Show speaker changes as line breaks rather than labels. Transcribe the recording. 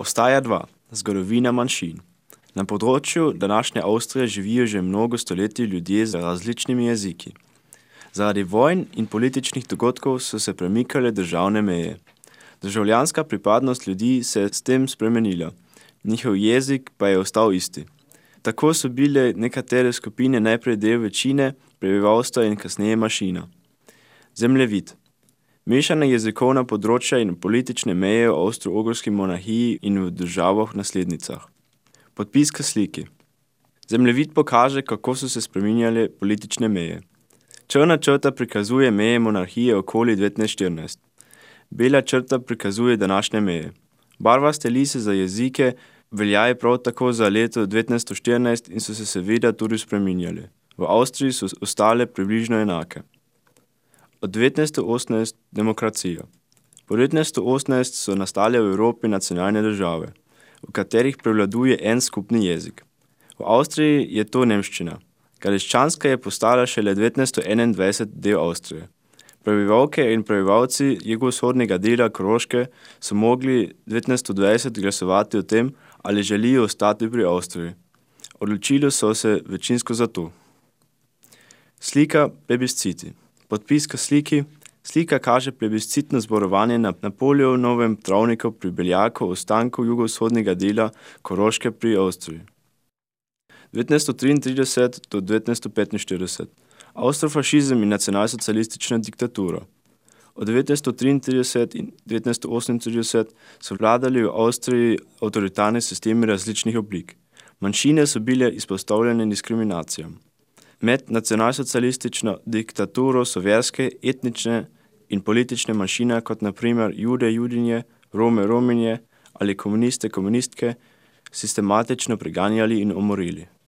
Postaja 2. Zgodovina manjšin. Na področju današnje Avstrije živijo že mnogo stoletij ljudje z različnimi jeziki. Zaradi vojn in političnih dogodkov so se premikale državne meje. Državljanska pripadnost ljudi se je s tem spremenila, njihov jezik pa je ostal isti. Tako so bile nekatere skupine najprej del večine prebivalstva in kasneje manjšina. Zemljevid. Mešana jezikovna področja in politične meje v Avstro-Ogrski monarhiji in v državah naslednicah. Podpis k sliki. Zemljevid pokaže, kako so se spreminjale politične meje. Črna črta prikazuje meje monarhije okoli 1914. Bela črta prikazuje današnje meje. Barvaste lise za jezike veljajo prav tako za leto 1914 in so se seveda tudi spreminjale. V Avstriji so ostale približno enake. Od 1918 demokracija. Po 1918 so nastale v Evropi nacionalne države, v katerih prevladuje en skupni jezik. V Avstriji je to nemščina. Galeščanska je postala šele 1921 del Avstrije. Prebivalke in prebivalci jugovzhodnega dela Koroške so mogli 1920 glasovati o tem, ali želijo ostati pri Avstriji. Odločili so se večinsko za to. Slika plebisciti. Podpis k sliki. Slika kaže plebiscitno zborovanje na Napoleonovem travniku pri Beljaku o ostanku jugovzhodnega dela Koroške pri Avstriji. 1933 do 1945. Avstrofašizem in nacionalsocialistična diktatura. Od 1933 in 1938 so vladali v Avstriji avtoritarni sistemi različnih oblik. Manjšine so bile izpostavljene diskriminacijam. Med nacionalsocialistično diktaturo so verske, etnične in politične manjšine, kot na primer Jude, Judinje, Rome, Rominje ali komuniste, komunistke, sistematično preganjali in umorili.